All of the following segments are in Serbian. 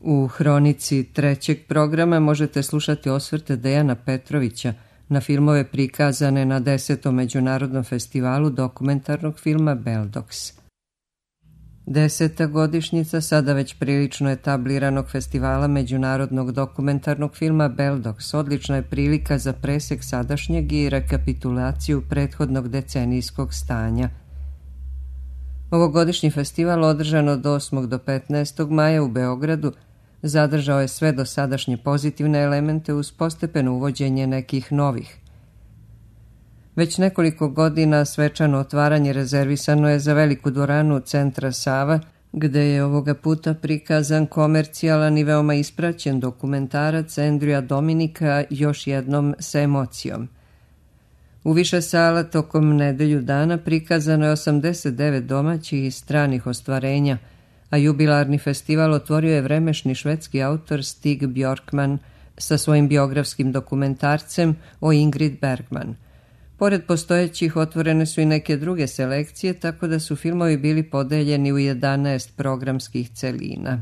U hronici trećeg programa možete slušati osvrte Dejana Petrovića na filmove prikazane na 10. Međunarodnom festivalu dokumentarnog filma Beldox. 10. godišnjica sada već prilično etabliranog festivala međunarodnog dokumentarnog filma Beldox odlična je prilika za presek sadašnjeg i rekapitulaciju prethodnog decenijskog stanja. Ovogodišnji festival, održan od 8. do 15. maja u Beogradu, zadržao je sve dosadašnje pozitivne elemente uz postepeno uvođenje nekih novih. Već nekoliko godina svečano otvaranje rezervisano je za veliku dvoranu Centra Sava, gde je ovoga puta prikazan komercijalan i veoma ispraćen dokumentarac Andrewa Dominika Još jednom s emocijom. U više sala tokom nedelju dana prikazano je 89 domaćih i stranih ostvarenja, a jubilarni festival otvorio je vremešni švedski autor Stig Bjorkman sa svojim biografskim dokumentarcem o Ingrid Bergman. Pored postojećih otvorene su i neke druge selekcije, tako da su filmovi bili podeljeni u 11 programskih celina.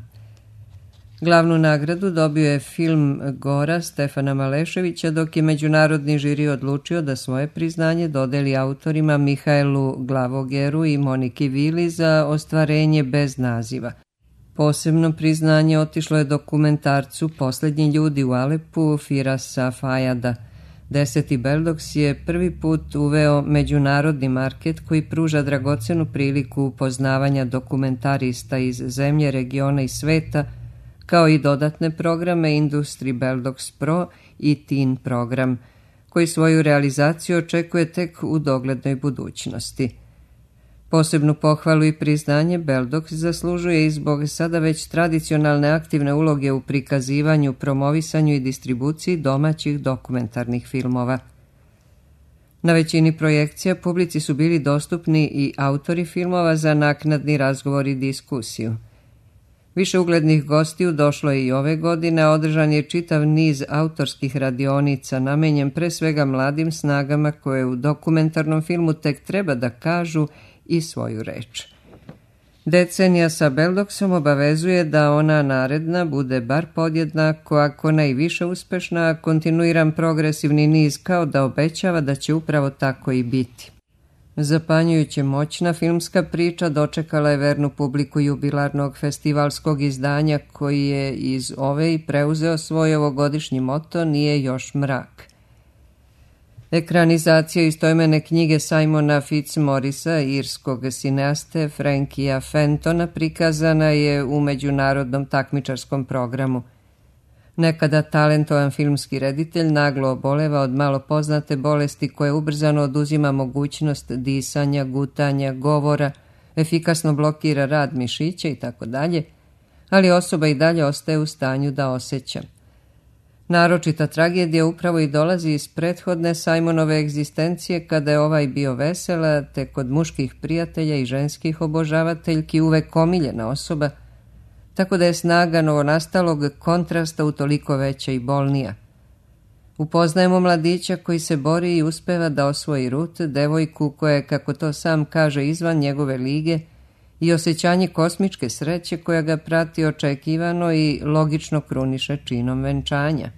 Glavnu nagradu dobio je film Gora Stefana Maleševića, dok je međunarodni žiri odlučio da svoje priznanje dodeli autorima Mihaelu Glavogeru i Moniki Vili za ostvarenje bez naziva. Posebno priznanje otišlo je dokumentarcu Poslednji ljudi u Alepu Firasa Fajada. 10. Beldox je prvi put uveo međunarodni market koji pruža dragocenu priliku upoznavanja dokumentarista iz zemlje, regiona i sveta, kao i dodatne programe Industry Beldox Pro i Teen program, koji svoju realizaciju očekuje tek u doglednoj budućnosti. Posebnu pohvalu i priznanje Beldox zaslužuje i zbog sada već tradicionalne aktivne uloge u prikazivanju, promovisanju i distribuciji domaćih dokumentarnih filmova. Na većini projekcija publici su bili dostupni i autori filmova za naknadni razgovor i diskusiju. Više uglednih gostiju došlo je i ove godine, a održan je čitav niz autorskih radionica namenjen pre svega mladim snagama koje u dokumentarnom filmu tek treba da kažu i svoju reč. Decenija sa Beldoxom obavezuje da ona naredna bude bar podjednako, ako ne i više uspešna, a kontinuiran progresivni niz kao da obećava da će upravo tako i biti. Zapanjujuće moćna filmska priča dočekala je vernu publiku jubilarnog festivalskog izdanja, koji je iz ove i preuzeo svoj ovogodišnji moto Nije još mrak. Ekranizacija istoimene knjige Simona Fitzmorrisa, irskog sineaste Frankija Fentona, prikazana je u međunarodnom takmičarskom programu. Nekada talentovan filmski reditelj naglo oboleva od malo poznate bolesti koja ubrzano oduzima mogućnost disanja, gutanja, govora, efikasno blokira rad mišića itd., ali osoba i dalje ostaje u stanju da osjeća. Naročita tragedija upravo i dolazi iz prethodne Simonove egzistencije, kada je ovaj bio vesela, te kod muških prijatelja i ženskih obožavateljki uvek omiljena osoba, tako da je snaga novonastalog kontrasta utoliko veća i bolnija. Upoznajemo mladića koji se bori i uspeva da osvoji Rut, devojku koja je, kako to sam kaže, izvan njegove lige, i osjećanje kosmičke sreće koja ga prati očekivano i logično kruniše činom venčanja.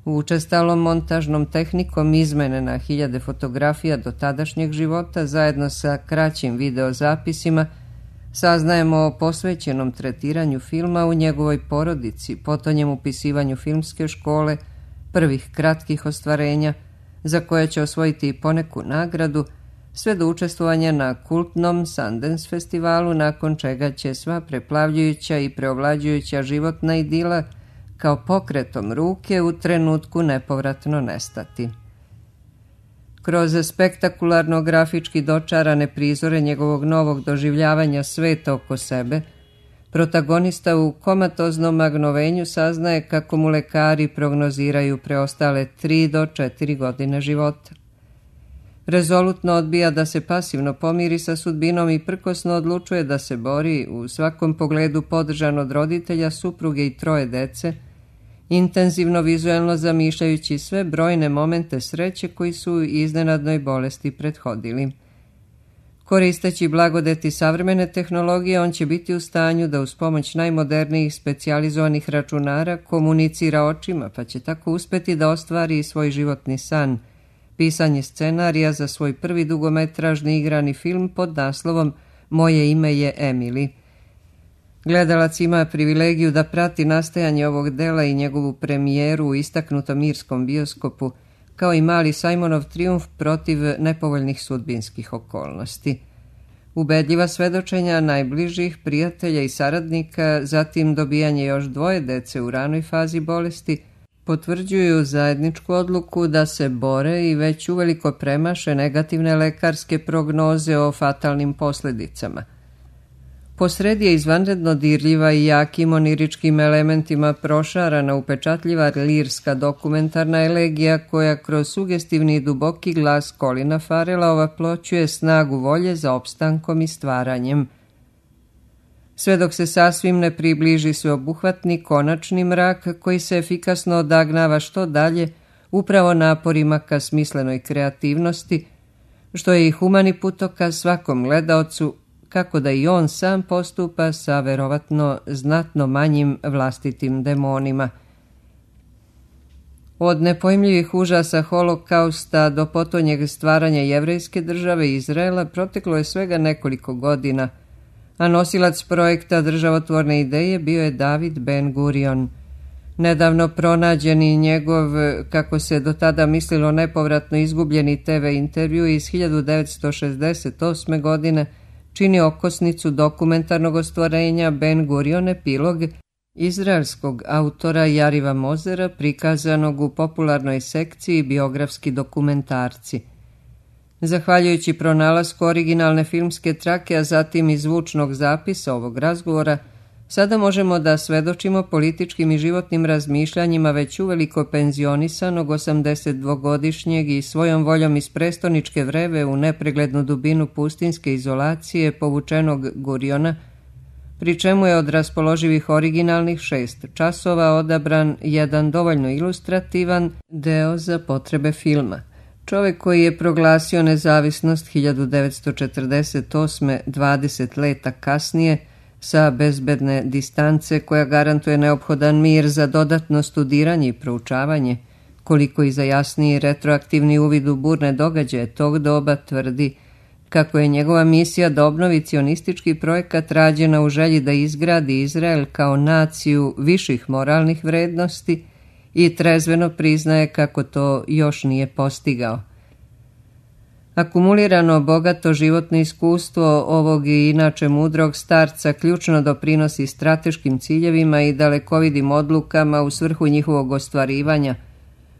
Učestalom montažnom tehnikom izmene na hiljade fotografija do tadašnjeg života, zajedno sa kraćim videozapisima, saznajemo o posvećenom tretiranju filma u njegovoj porodici, potonjem upisivanju filmske škole, prvih kratkih ostvarenja, za koje će osvojiti i poneku nagradu, sve do učestvovanja na kultnom Sundance festivalu, nakon čega će sva preplavljujuća i preovlađujuća životna idila kao pokretom ruke u trenutku nepovratno nestati. Kroz spektakularno grafički dočarane prizore njegovog novog doživljavanja sveta oko sebe, protagonista u komatoznom magnovenju saznaje kako mu lekari prognoziraju preostale 3 do 4 godine života. Rezolutno odbija da se pasivno pomiri sa sudbinom i prkosno odlučuje da se bori, u svakom pogledu podržan od roditelja, supruge i 3 dece, intenzivno vizuelno zamišljajući sve brojne momente sreće koji su iznenadnoj bolesti prethodili. Koristeći blagodeti savremene tehnologije, on će biti u stanju da uz pomoć najmodernijih specijalizovanih računara komunicira očima, pa će tako uspeti da ostvari svoj životni san, pisanje scenarija za svoj prvi dugometražni igrani film pod naslovom Moje ime je Emily. Gledalac ima privilegiju da prati nastajanje ovog dela i njegovu premijeru u istaknutom irskom bioskopu, kao i mali Simonov trijumf protiv nepovoljnih sudbinskih okolnosti. Ubedljiva svedočenja najbližih prijatelja i saradnika, zatim dobijanje još 2 dece u ranoj fazi bolesti, potvrđuju zajedničku odluku da se bore i već uveliko premaše negativne lekarske prognoze o fatalnim posljedicama. Posredi je izvanredno dirljiva i jakim oniričkim elementima prošarana upečatljiva lirska dokumentarna elegija koja kroz sugestivni i duboki glas Colina Farrella ovaploćuje snagu volje za opstankom i stvaranjem. Sve dok se sasvim ne približi sveobuhvatni konačni mrak koji se efikasno odagnava što dalje upravo naporima ka smislenoj kreativnosti, što je i humani putokaz svakom gledaocu, kako da i on sam postupa sa verovatno znatno manjim vlastitim demonima. Od nepojmljivih užasa holokausta do potonjeg stvaranja jevrejske države Izraela proteklo je svega nekoliko godina, a nosilac projekta državotvorne ideje bio je David Ben Gurion. Nedavno pronađeni njegov, kako se do tada mislilo, nepovratno izgubljeni TV intervju iz 1968. godine čini okosnicu dokumentarnog ostvarenja Ben Gurion epilog izraelskog autora Yariva Mozera, prikazanog u popularnoj sekciji biografski dokumentarci. Zahvaljujući pronalasku originalne filmske trake, a zatim i zvučnog zapisa ovog razgovora, sada možemo da svedočimo političkim i životnim razmišljanjima već uveliko penzionisanog 82-godišnjeg i svojom voljom iz prestoničke vreve u nepreglednu dubinu pustinske izolacije povučenog Guriona, pri čemu je od raspoloživih originalnih 6 časova odabran jedan dovoljno ilustrativan deo za potrebe filma. Čovjek koji je proglasio nezavisnost 1948. 20 leta kasnije, sa bezbedne distance koja garantuje neophodan mir za dodatno studiranje i proučavanje, koliko i za jasniji retroaktivni uvid u burne događaje tog doba, tvrdi kako je njegova misija da obnovi cionistički projekat rađena u želji da izgradi Izrael kao naciju viših moralnih vrednosti i trezveno priznaje kako to još nije postigao. Akumulirano bogato životno iskustvo ovog i inače mudrog starca ključno doprinosi strateškim ciljevima i dalekovidim odlukama u svrhu njihovog ostvarivanja,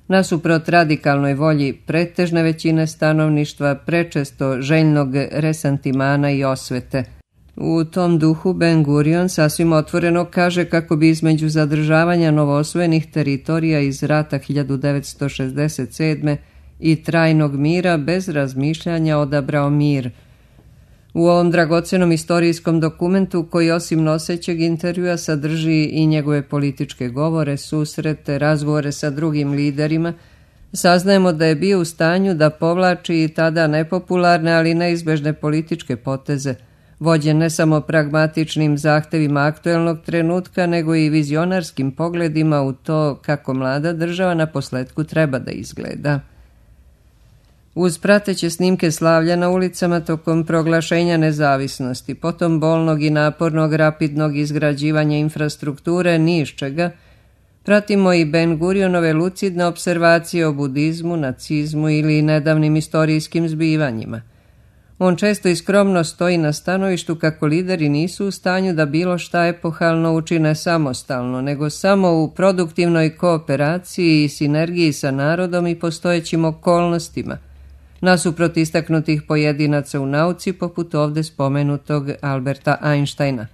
nasuprot radikalnoj volji pretežne većine stanovništva, prečesto željnog resantimana i osvete. U tom duhu Ben Gurion sasvim otvoreno kaže kako bi između zadržavanja novoosvojenih teritorija iz rata 1967. i trajnog mira bez razmišljanja odabrao mir. U ovom dragocenom istorijskom dokumentu, koji osim nosećeg intervjua sadrži i njegove političke govore, susrete, razgovore sa drugim liderima, saznajemo da je bio u stanju da povlači i tada nepopularne, ali neizbežne političke poteze, vođen ne samo pragmatičnim zahtevima aktuelnog trenutka, nego i vizionarskim pogledima u to kako mlada država na posletku treba da izgleda. Uz prateće snimke slavlja na ulicama tokom proglašenja nezavisnosti, potom bolnog i napornog rapidnog izgrađivanja infrastrukture ni iz čega, pratimo i Ben Gurionove lucidne observacije o budizmu, nacizmu ili nedavnim istorijskim zbivanjima. On često i skromno stoji na stanovištu kako lideri nisu u stanju da bilo šta epohalno učine samostalno, nego samo u produktivnoj kooperaciji i sinergiji sa narodom i postojećim okolnostima, nasuprot istaknutih pojedinaca u nauci poput ovdje spomenutog Alberta Einsteina.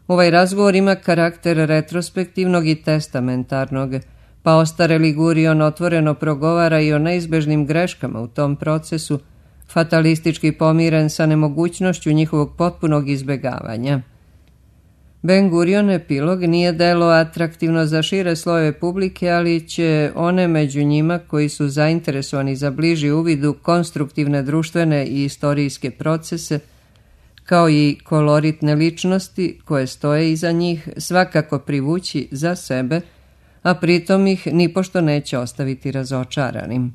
Ovaj razgovor ima karakter retrospektivnog i testamentarnog, pa ostareli Gurion otvoreno progovara i o neizbežnim greškama u tom procesu, fatalistički pomiren sa nemogućnošću njihovog potpunog izbjegavanja. Ben Gurion epilog nije delo atraktivno za šire slojeve publike, ali će one među njima koji su zainteresovani za bliži uvid u konstruktivne društvene i istorijske procese, kao i koloritne ličnosti koje stoje iza njih, svakako privući za sebe, a pritom ih nipošto neće ostaviti razočaranim.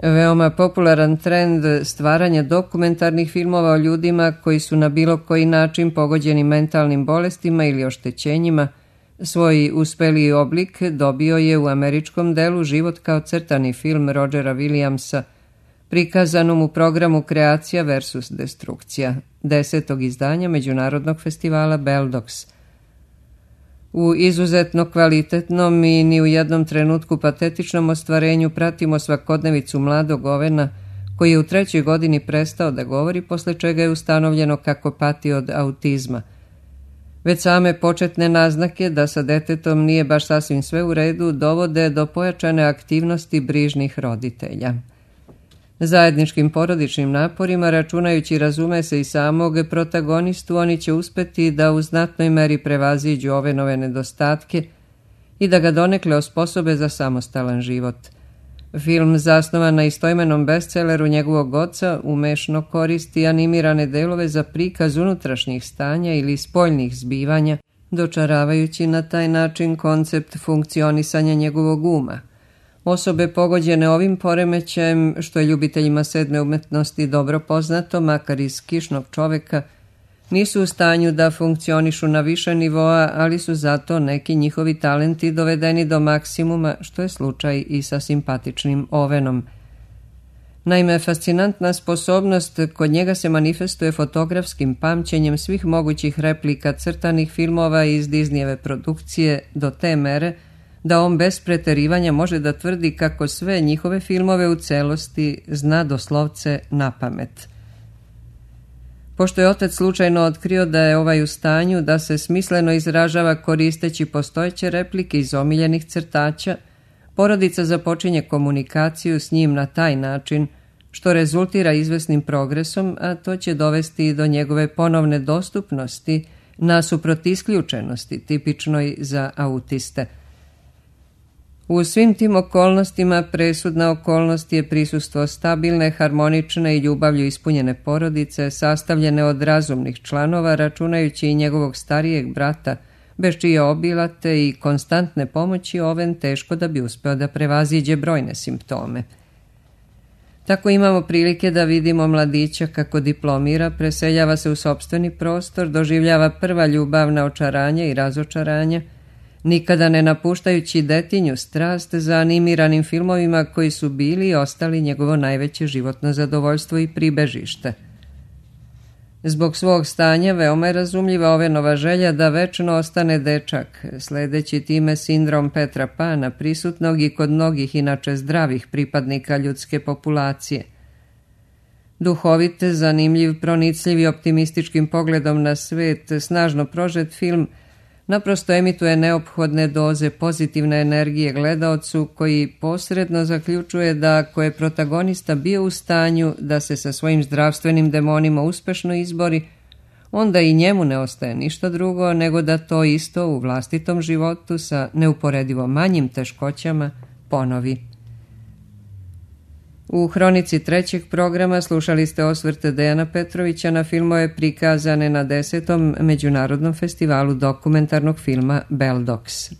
Veoma popularan trend stvaranja dokumentarnih filmova o ljudima koji su na bilo koji način pogođeni mentalnim bolestima ili oštećenjima, svoj uspeliji oblik dobio je u američkom delu Život kao crtani film Rogera Williamsa, prikazanom u programu Kreacija versus Destrukcija, 10. izdanja Međunarodnog festivala Beldox. U izuzetno kvalitetnom i ni u jednom trenutku patetičnom ostvarenju pratimo svakodnevicu mladog Ovena koji je u 3. godini prestao da govori, posle čega je ustanovljeno kako pati od autizma. Već same početne naznake da sa detetom nije baš sasvim sve u redu dovode do pojačane aktivnosti brižnih roditelja. Zajedničkim porodičnim naporima, računajući razume se i samog protagonistu, oni će uspeti da u znatnoj meri prevaziđu Ovenove nedostatke i da ga donekle osposobe za samostalan život. Film, zasnovan na istoimenom bestselleru njegovog oca, umešno koristi animirane delove za prikaz unutrašnjih stanja ili spoljnih zbivanja, dočaravajući na taj način koncept funkcionisanja njegovog uma. Osobe pogođene ovim poremećajem, što je ljubiteljima sedme umetnosti dobro poznato, makar iz Kišnog čoveka, nisu u stanju da funkcionišu na više nivoa, ali su zato neki njihovi talenti dovedeni do maksimuma, što je slučaj i sa simpatičnim Ovenom. Naime, fascinantna sposobnost kod njega se manifestuje fotografskim pamćenjem svih mogućih replika crtanih filmova iz Disneyjeve produkcije do te mere da on bez preterivanja može da tvrdi kako sve njihove filmove u celosti zna doslovce na pamet. Pošto je otac slučajno otkrio da je ovaj u stanju da se smisleno izražava koristeći postojeće replike iz omiljenih crtača, porodica započinje komunikaciju s njim na taj način, što rezultira izvesnim progresom, a to će dovesti i do njegove ponovne dostupnosti nasuprot isključenosti, tipičnoj za autiste. U svim tim okolnostima presudna okolnost je prisustvo stabilne, harmonične i ljubavlju ispunjene porodice, sastavljene od razumnih članova, računajući i njegovog starijeg brata, bez čije obilate i konstantne pomoći Oven teško da bi uspeo da prevaziđe brojne simptome. Tako imamo prilike da vidimo mladića kako diplomira, preseljava se u sopstveni prostor, doživljava prva ljubavna očaranja i razočaranja, nikada ne napuštajući detinju strast za animiranim filmovima koji su bili i ostali njegovo najveće životno zadovoljstvo i pribežište. Zbog svog stanja veoma je razumljiva Ovenova želja da večno ostane dečak, sledeći time sindrom Petra Pana, prisutnog i kod mnogih inače zdravih pripadnika ljudske populacije. Duhovit, zanimljiv, pronicljiv i optimističkim pogledom na svet, snažno prožet film naprosto emituje neophodne doze pozitivne energije gledaocu koji posredno zaključuje da ako je protagonista bio u stanju da se sa svojim zdravstvenim demonima uspešno izbori, onda i njemu ne ostaje ništa drugo nego da to isto u vlastitom životu sa neuporedivo manjim teškoćama ponovi. U hronici 3. programa slušali ste osvrte Dejana Petrovića na filmove prikazane na 10. Međunarodnom festivalu dokumentarnog filma Beldox.